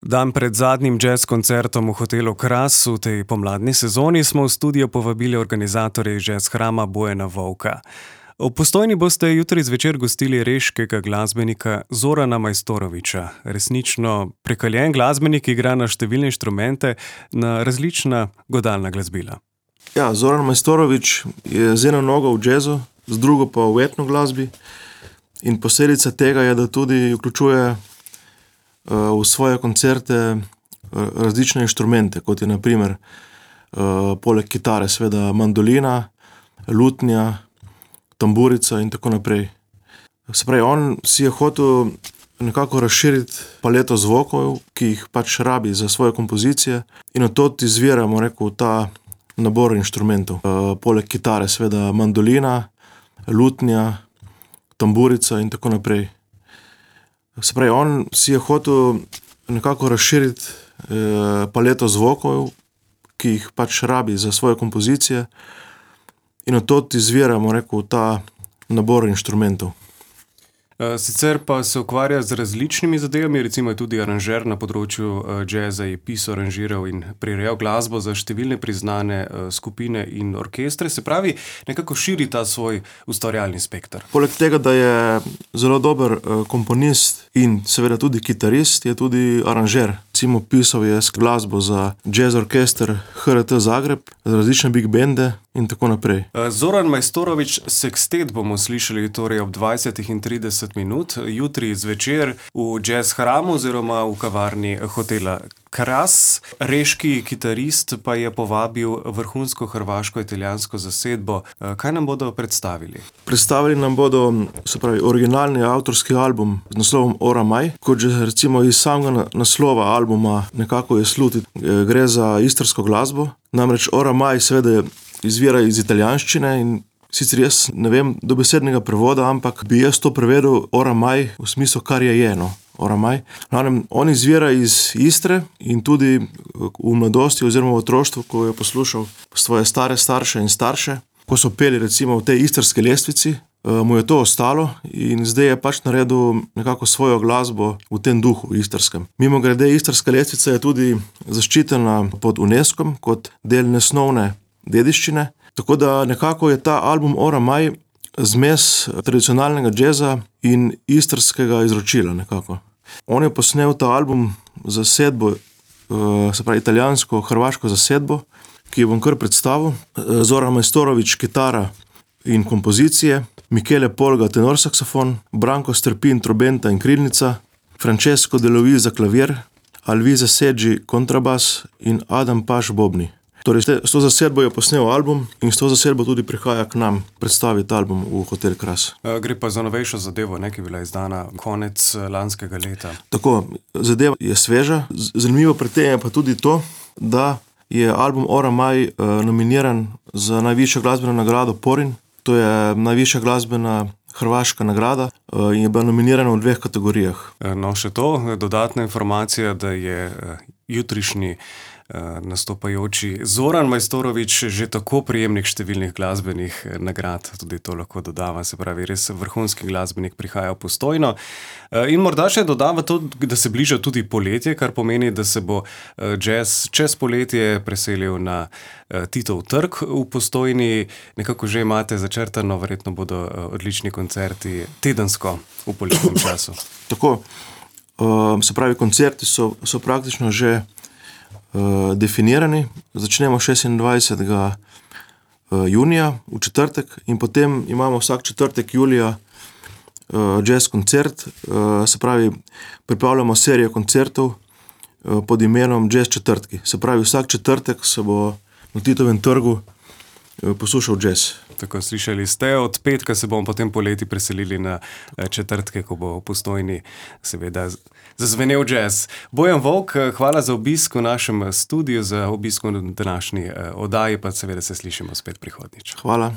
Dan pred zadnjim jazz koncertom v hotelu Kras v tej pomladni sezoni smo v studio povabili organizatorje jazz hrama Bojana Volka. V Postojni boste jutri zvečer gostili reškega glasbenika Zorana Majstorovića. Resnično prekaljen glasbenik, ki igra na številne inštrumente, na različna godalna glasbila. Ja, Zoran Majstorović je z eno nogo v jazzu, z drugo pa v etno glasbi. In posledica tega je, da tudi vključuje v svoje koncerte različne inštrumente, kot je na primer poleg kitare seveda mandolina, lutnja, tamburica in tako naprej. Se pravi, on si je hotel nekako razširiti paleto zvokov, ki jih pač rabi za svoje kompozicije, in od tod izvira, ta nabor inštrumentov. Poleg kitare seveda mandolina, lutnja, tamburica in tako naprej. Se pravi, on si je hotel nekako razširiti paleto zvokov, ki jih pač rabi za svoje kompozicije, in od tod izvira, ta nabor inštrumentov. Sicer pa se ukvarja z različnimi zadevami, recimo je tudi aranžer na področju jazza, je pisal, aranžiral in prirejal glasbo za številne priznane skupine in orkestre, se pravi, nekako širi ta svoj ustvarjalni spekter. Poleg tega, da je zelo dober komponist in seveda tudi kitarist, je tudi aranžer. Recimo pisal je glasbo za jazz orkester HRT Zagreb, za različne big bende in tako naprej. Zoran Majstorović Sextet bomo slišali torej ob 20:30 minut, jutri zvečer v jazz hramu oziroma v kavarni hotela Kras. Reški kitarist pa je povabil vrhunsko hrvaško-italijansko zasedbo. Kaj nam bodo predstavili? Predstavili nam bodo, se pravi, originalni avtorski album z naslovom Ora Maj. Kot že recimo iz samega naslova albuma nekako je slutiti, gre za istrsko glasbo. Namreč Ora Maj seveda izvira iz italijanščine in sicer jaz ne vem dobesednega prevoda, ampak bi jaz to prevedel Ora Maj v smislu kar je, Ora Maj. On izvira iz Istre in tudi v mladosti oziroma v otroštvu, ko je poslušal svoje stare starše in starše, ko so peli recimo v tej istrski lestvici, mu je to ostalo in zdaj je pač naredil nekako svojo glasbo v tem duhu istrskem. Mimogrede, istrska lestvica je tudi zaščitena pod UNESCOM kot del nesnovne dediščine, tako da nekako je ta album Ora Maj zmes tradicionalnega džeza in istrskega izročila nekako. On je posnel ta album za zasedbo, se pravi italijansko-hrvaško zasedbo, ki jo bom kar predstavil. Zoran Majstorović kitara in kompozicije, Michele Polga tenor saksofon, Branko Strpin trobenta in krilnica, Francesco De Luisa klavir, Alvise Seggi kontrabas in Adam Paš bobni. Torej, s to zasedbo je posnel album in s to zasedbo tudi prihaja k nam predstaviti album v hotel Kras. Gre pa za novejšo zadevo, ki je bila izdana konec lanskega leta. Tako, zadeva je sveža. Zanimivo pri tem je pa tudi to, da je album Ora Maj nominiran za najvišjo glasbeno nagrado Porin. To je najvišja glasbena hrvaška nagrada in je bila nominirana v 2 kategorijah. No, še to, dodatna informacija, da je jutrišnji nastopajoči Zoran Majstorović že tako prejemnik številnih glasbenih nagrad, tudi to lahko dodava, se pravi, res vrhunski glasbenik prihaja v Postojno. In morda še dodava to, da se bliža tudi poletje, kar pomeni, da se bo jazz čez poletje preselil na Titov trg v Postojni. Nekako že imate začrtano, verjetno bodo odlični koncerti tedensko v poletnem času. Tako, se pravi, koncerti so praktično že definirani. Začnemo 26. junija v četrtek in potem imamo vsak četrtek julija jazz koncert. Se pravi, pripravljamo serijo koncertov pod imenom Jazz četrtki. Se pravi, vsak četrtek se bo na Titovem trgu poslušal jazz. Tako, slišali ste, od petka se bomo potem poleti preselili na četrtke, ko bo v Postojni seveda zazvenel jazz. Bojan Volk, hvala za obisk v našem studiu, za obisk v današnji oddaji, pa seveda se slišimo spet prihodnjič. Hvala.